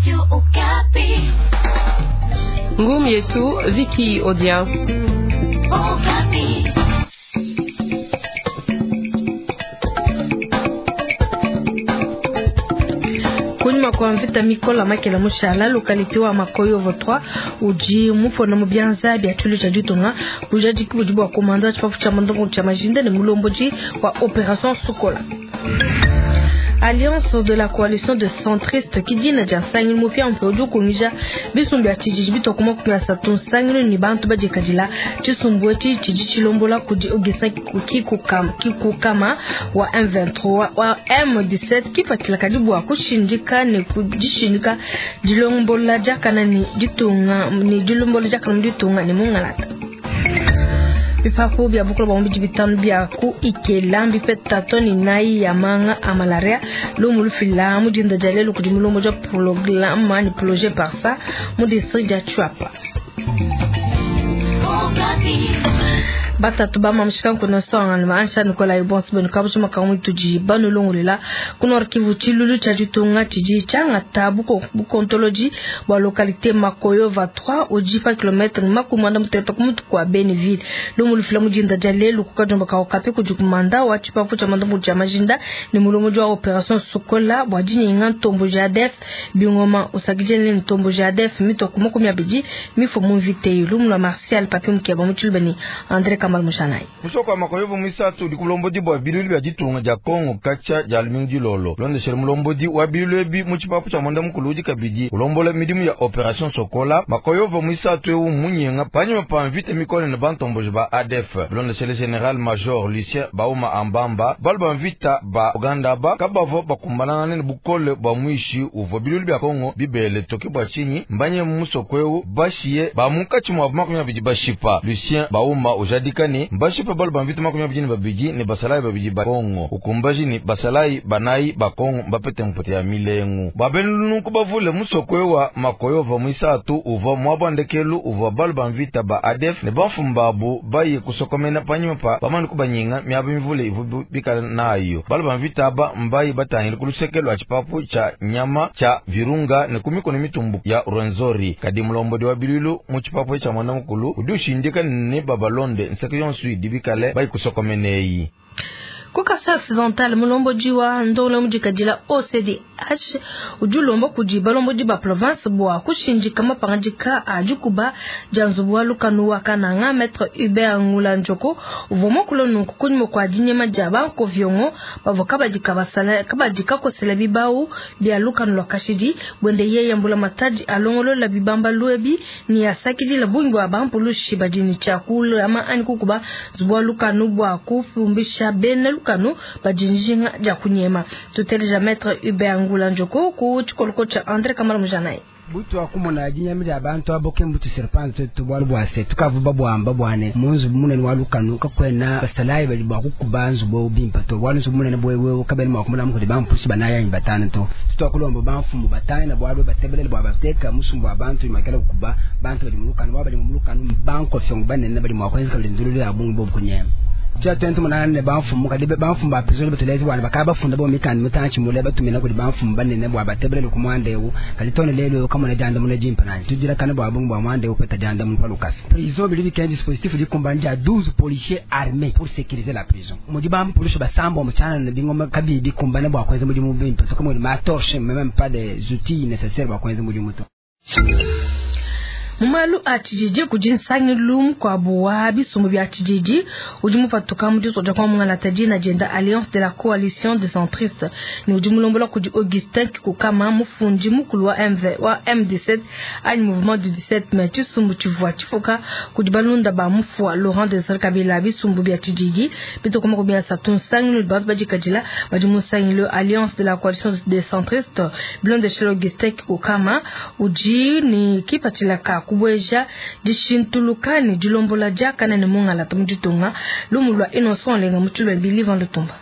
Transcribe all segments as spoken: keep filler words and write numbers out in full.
Radio Okapi. Ngumi yetu Vicky Odia. Okapi. Kunyima kwa mvita mikola makela mushala localité wa Makoyovo trois udi mupona mu byanza bya tulu tshia ditunga bujadiki budi bua komanda tshipapu tshia mandongo tshia majinda ne mulomboji wa opération Sokola. Alliance de la coalition de centristes kidina dia nsangilu mupia mpe udi ukungija bisumbu bia tshijiji bitokuma makumi asatu nsangilu ni bantu badikadila tshisumbu etshi tshidi tshilombola kudi Augustin Kikukama, Kikukama wa M vingt-trois wa M dix-sept kipatshila kadi bua kushindika ne kudishindika dilombola diakana ni ditunga ni dilombola diakana mu ditunga ne mungalata. Bipapu bia bukolo bwa mubidi bitanu bia ku Ikela mbipeta toni nayi ya manga a malaria lumu lufila mu dinda dia lelu kudi mulombo dia programme ni projet par ça mu district dia Tshuapa. Batatu ba mamshika kuna songa ni maansha Nicolas Ibons benu kabucho makamu tuji banu lungulela kuna Kivu chilulu cha ditunga chiji changa tabu bukontoloji bwa localité Makoyova trois oji pa kilomètre makumanda muteta kumutu kwa Beneville lumu lufila mujinda dia lelu kukajomba ka okapi kujukumanda wa chipapu cha mandombo cha majinda ni mulomo wa opération Sokola bwa jininga ntombo jadef bingoma usakijene ntombo jadef mito kumoko miyabiji mifo mumvite lumu la Martial Papi Mukeba mutulbeni André Kamal Mushanai. Musoko wa Makoyovo mwisatu udi kulombodi bwa bilulu bya ditunga dia Kongo kacha dia lumingu dilolo londeshele mulombodi wa bilulu ebi mu tshipapu tshia mwanda mukulu udi kabidi ulombola midimu ya opération Sokola. Makoyovo mwisatu ewu munyenga panyima pa mvita mikole ne bantomboji ba A D F bilondeshele General Major Lucien Bauma Ambamba balu ba mvita ba Uganda ba kabavo bakumbanangane ne bukole bwa mwishi uvua bilulu bya Kongo bibele toke bwa tshinyi mbanye musoko ewu bashiye ba munkatshi mwabu makumi abidi bashipa. Lucien Bauma ujadika ni mbashipa balu ba mvita makumi abidi ne babidi ne basalayi babidi ba Kongo ukumbaji ni basalayi banayi ba Kongo mbapete mpote ya milengu babenunku bavule musoko ewa Makoyova mwisatu uvua mwabandekelu uvua balu ba mvita ba A D F ne bamfumbabu baye kusokomena panyima pa bamani kubanyinga miaba mivule ivu bikala nayo balu ba mvita aba mbayi batangile ku luseke lwa tshipapu tsha nyama tsha Virunga ne ku mikono mitumbu ya Rwenzori. Kadi mulombodi wa bilulu mu tshipapu tsha mwana mukulu udi ushindika ne babalonde nseke yonso idi bikale bayi kusokomeneyi. Kukasa occidental mulomboji wa ndolo mujikadila O C D H ujulombo kudi balomboji ba province bwa kushinjika mapangajika ajukuba janzubu wa lukanu wa kananga maître Hubert Ngula Njoko uvomo kulonu kunyimo kwa dinyema jaba ko viongo bavoka badika basala kabadika kosela bibau bya lukanu lwa kashidi bwende yeye mbula mataji alongolo la bibamba luebi ni asakidi la bungi wa bampulushi badini chakula ama ani kukuba zubwa lukanu bwa kufumbisha bene lukanu badinjinga ja kunyema. Tuteleja maître Hubert Ngula Njoko ku chikoloko cha André Kamala Mujanai. Butu akumona jinyamira abantu aboke mbutu serpent tubwalu bwase tukavuba bwamba bwane munzu munene walukanu kakwena basalayi bali bwakukubanzu bo bimpa to bwalu munene bwewe kabeli mwakumula mukuli bampusi banaya batana to tutakulomba bamfumu batana bwalu batebelele bwabateka musumbu abantu imakela kukuba bantu bali mulukanu bali mulukanu banko fyongo banene bali mwakwenza kalindululu ya bungu bo kunyema tya twenty munane bamfumu kadibe bamfumu ba prison batulezi bwana bakaba bafunda bo mikandi mutanchi mule batumina kuli bamfumu banene bwa batebelele ku mwandewu kalitone lelo kamona janda mune jimpa nani tujira kana bwa bungu bwa mwandewu peta janda mu palukasi prison bili bikende dispositif di kumbanja douze policiers armés pour sécuriser la prison mudi bam police basambo muchana na bingoma kabibi kumbana bwa kweza mudi mubimpa so kama ma torche même pas des outils nécessaires bwa kweza mudi muto. Mumalu a tshijiji kudi nsangilu mukuabu wa bisumbu bia tshijiji udi mupatuka mu ditu kwa mungalata dina dienda Alliance de la coalition des centristes ni udi mulombola kudi Augustin Kikukama mufundi mukulu wa M V wa M dix-sept anyi mouvement du dix-sept mai tshisumbu tshivua tshifuka kudi balunda ba mufua Laurent Désiré Kabila bisumbu bia tshijiji bitokoma kubia asatu nsangilu bantu badikadila badi mu nsangilu Alliance de la coalition des centristes bilondeshele Augustin Kikukama udi ni kipatshila ka kubweja dishintulukani dilombola diakana ne mungalata mu ditunga lumu lwa Innocent Lenga mutulwe Bilivan Lutumba.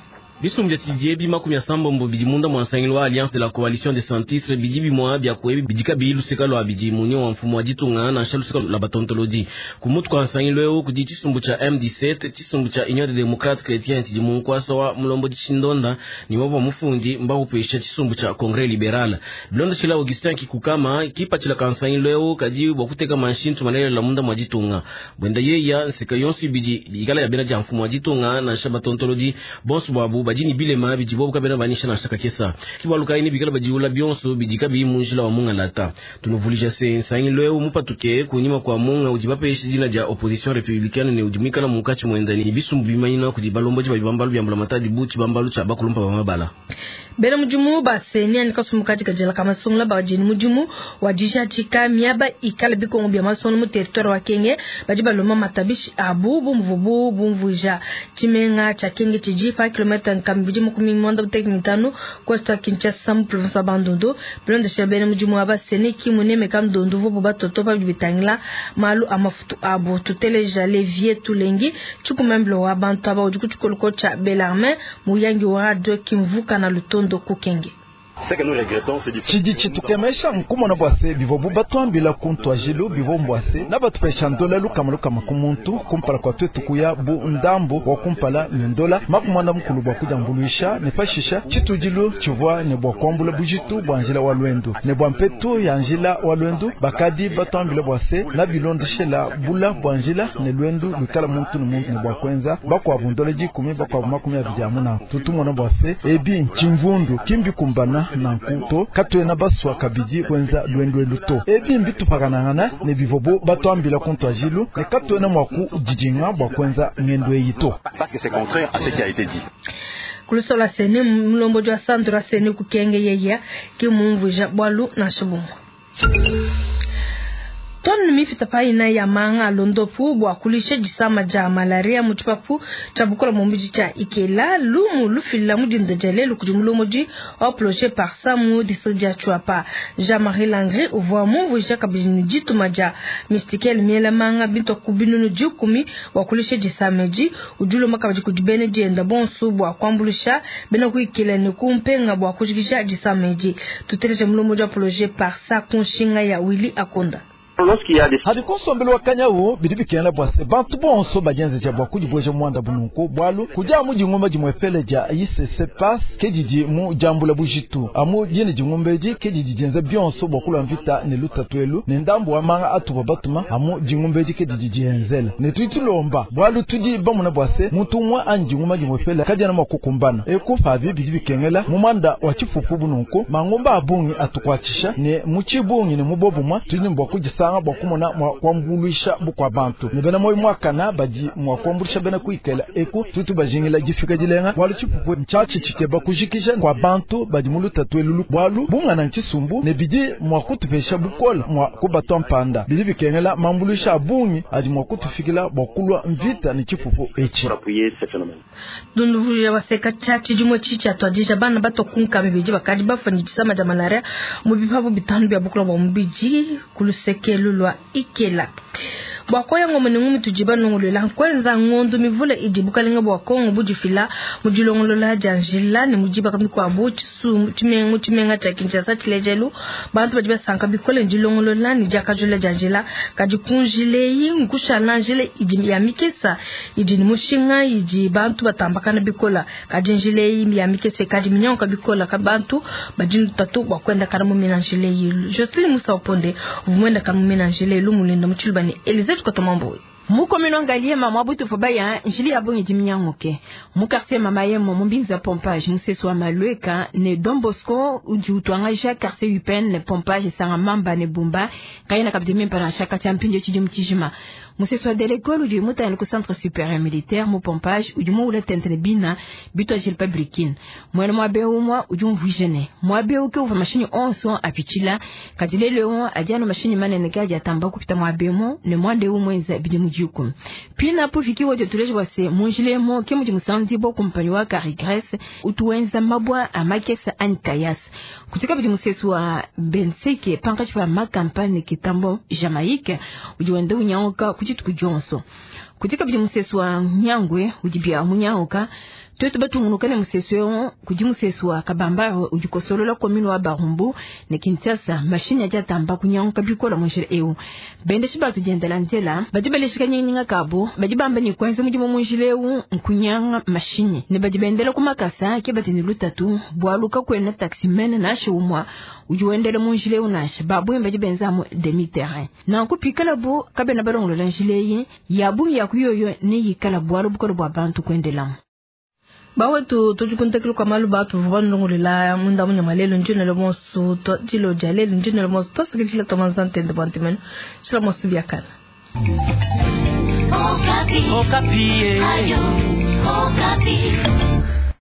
Bisumbu bia tshididi ebi makumi asambombo bidi munda mua nsangilu wa Alliance de la Coalition des Sans-Titres bidi bimua bia ku ebi bidi kabiyi luseka lua bidi munyi wa mfumu wa ditunga nansha luseka lua batontolodi. Ku mutu kua nsangilu eu kudi tshisumbu tshia M dix-sept, tshisumbu tshia Union des Démocrates Chrétiens tshidi mu nkuasa wa mulombodi Tshindonda ne wa mufundi mbawupesha tshisumbu tshia Congrès Libéral. Bilondeshila Augustin Kikukama kipatshila ka nsangilu eu kadi bua kuteka manshintu malelela munda mua ditunga. Bwenda yeya nseka yonso ibidi ikala ya bena dia mfumu wa ditunga nansha batontolodi bonso bwabu badi ni bilema bidi bobu kabena banyisha nansha kakesa. Kibaluka ini bikala badiula bionso bidi kabiyi mu njila wa mungalata. Tunuvulija se nsangilu eu mupatuke kunyima kwa munga udi bapesha dina dia opposition républicaine ne udi mwikala munkatshi mwenda ni bisumbu bimanyina kudi balomboji ba bibambalu bya mbulamatadi bu tshibambalu tshia bakulumpa ba mabala. Bena mudimu ba seni ani kasumbu katika jela kama sungula ba jini mudimu wa dijadika miaba ikala bikongo bya masono mu territoire wa Kenge badi baloma matabishi abu bumvubu bumvuja tshimenga tsha Kenge tshidi pa kilomètre nkambidi makumi mwanda mutekene kwa Kinshasa mu province ya Bandundu. Bilondesha bena mudimu wa baseni ki muneme kandondu vubu batoto pa bitangila malu amafutu abu tuteleja levier tulengi tshikumemblo wa bantu aba udi kutshikoloko tsha Belarmin muyangi wa radio kimvuka na lutondo kukenge. Tshidi tshitukemesha nkumona bwase bivo batwambila kuntu ajilu bivo mbwase na batupesha ndola lukama lukama kumuntu kumpala kwa twetu kuya bu ndambu wa kumpala ne ndola makumanda mukulu bwa kujambuluisha ne pashisha tshitudilu tshivua ne bwa kuambula bujitu bwa njila wa lwendu ne bwa mpetu ya njila wa lwendu bakadi batwambila bwase na bilondeshela bula bwa njila ne lwendu lukala muntu ne muntu ne bwa kwenza bakwabu ndola dikumi bakwabu makumi abidi amuna tutumona bwase ebi nchimvundu kimbi kumbana nankuto katwena baswa kabidi kwenza lwendwe luto ebi mbitupakanangana ne bivobo batwambila kuntu ajilu ne katwena mwaku didinga bwa kwenza ngendo eyito. Parce que c'est contraire à ce qui a été dit. Kulusola sene mulombo jwa Sandra sene kukenge yeya ki mumvuja bwalu na shibungu. Tonu mifita pa ina ya manga londopu bwa kulisha jisama ja malaria muchipapu cha bukola mumbiji cha Ikela lumu lufila mudinda jale lukudi mulomoji wa projet par samu district ya Tshuapa. Jean-Marie Langry uvwa mumvuja kabijini jituma ja mystikel miela manga binto kubinunu jikumi wa kulisha jisameji ujulo makabaji kudibene jenda bonsu bwa kwambulisha bena kuikela ni kumpenga bwa kujikisha jisameji. Tuteleje mulomoji wa projet par sa kunshinga ya Willy Akonda. Hadi kunsombelo wa kanyawu bidi bikenda bwase bantu bonso bajenze bwa kujibweja mwanda bununku bwalu kuja mu jingomba jimwepele ja I C C pass kejiji mu jambula bujitu amu jine jingombeji kejiji jenze bionso bwa kula mvita ne lutatwelu ne ndambu wa manga atuba batuma amu jingombeji kejiji jenzela ne tuitulomba bwalu tuji bamuna bwase muntu umwe anjingoma jimwepele kajana makukumbana ekufa bidi bikengela mu mwanda wa chifufu bununku mangomba abungi atukwatisha ne muchibungi ne mubobumwa tuli mbwa kujisa bwa kumona mwa kwambuluisha bukwa bantu ne bena moyo mwakana badi mwa kwambulisha bena kuikela eku tutu bajingila jifika dilenga bwalu chipupu nchachi chikeba kujikisha kwa bantu badi muluta twelulu bwalu bungana nchisumbu ne bidi mwa kutupesha bukola mwa kubatwa mpanda bidi bikengela mambulisha abungi adi mwa kutufikila bwa kulwa mvita ne chipupu echi dunduvuja baseka chachi jimwe chicha twadija bana batokunka bibiji bakadi bafanyijisa maja malaria mu bipapu bitanu bya bukola bwa mubiji kuluseke lulwa Ikela. Bwa koya ngoma ni ngumi tujiba nongolela kwenza ngondo mivula idi bukalenga bwa Kongo bujifila mujilongolola janjila ne mujiba kamikwa bu chisu chimengo chimenga cha Kinshasa chilejelu bantu badi basanka bikole njilongolola ni jakajula janjila kadi kunjile nkushala njile idi ya mikesa idi ni mushinga idi bantu batambakana bikola kadi njile ya mikesa kadi minyonka bikola kabantu badi tatu bwa kwenda kana mu minanjile Jocelyn Musa Oponde vumwenda kana mu minanjile lumulinda muchilubani Elizabeth Kotomambo. Mukomino ngaliema mwabutu fobaya njili abongi jiminyangoke. Mu quartier mama yemo mumbinza pompage museso wa malweka ne Don Bosco udi utwanga quartier Upen ne pompage sanga mamba ne bumba kayina kabide mimpa na shaka cha mpinjo chidi mtijima. Museso wa de l'école udi mutana ku centre supérieur militaire mu pompage udi mu ula tente ne bina bitwa jil publikin. Mwana mwabe umwa udi mvujene. Mwabe uke uva mashini onso apichila kadilele on adiano mashini manene kaja atamba kupita mwabe mo ne mwande umwenza bidi muji. Pina po fiki wote tuleje wase munjile mo ke muji musandi bo kumpanyi wa Carigrès utuwenza mabwa amakesa ankayas kutika bidi musesu wa Benseke pankachi pa makampani kitambo Jamaïque ujiwende unyangoka kujitu kujonso kutika bidi musesu wa Nyangwe ujibia munyangoka Twetu batungunuka ne musesu eu kudi musesu wa Kabambare udi kosolola commune wa Barumbu ne Kinshasa. Mashinyi adi atamba kunyanguka bikola mu njila eu. Bendeshi batu diendela nzela badi baleshika nyinga kabo badi bamba ni kwenza mudimu mu njila eu nkunyanga mashinyi ne badi bendela ku makasa ke badi ne lutatu bwaluka kwena taximen nashe umwa udi wendela mu njila eu nashe babwe badi benza mu demi terrain nanku pikala bu kabena balongolola njila eyi ya bungi ya kuyoyo ne yikala bwalu bukolo bwa bantu kwendelamu. Bawetu tujikuntekelu kwa malu batu vanlongolela munda munya lelo njinelo monsu to dilo dia lelo njinelo monsu tosikijila tomanzantende bwantimeno shila monsu biakana. Okapi. Okapi. Ayo, Okapi.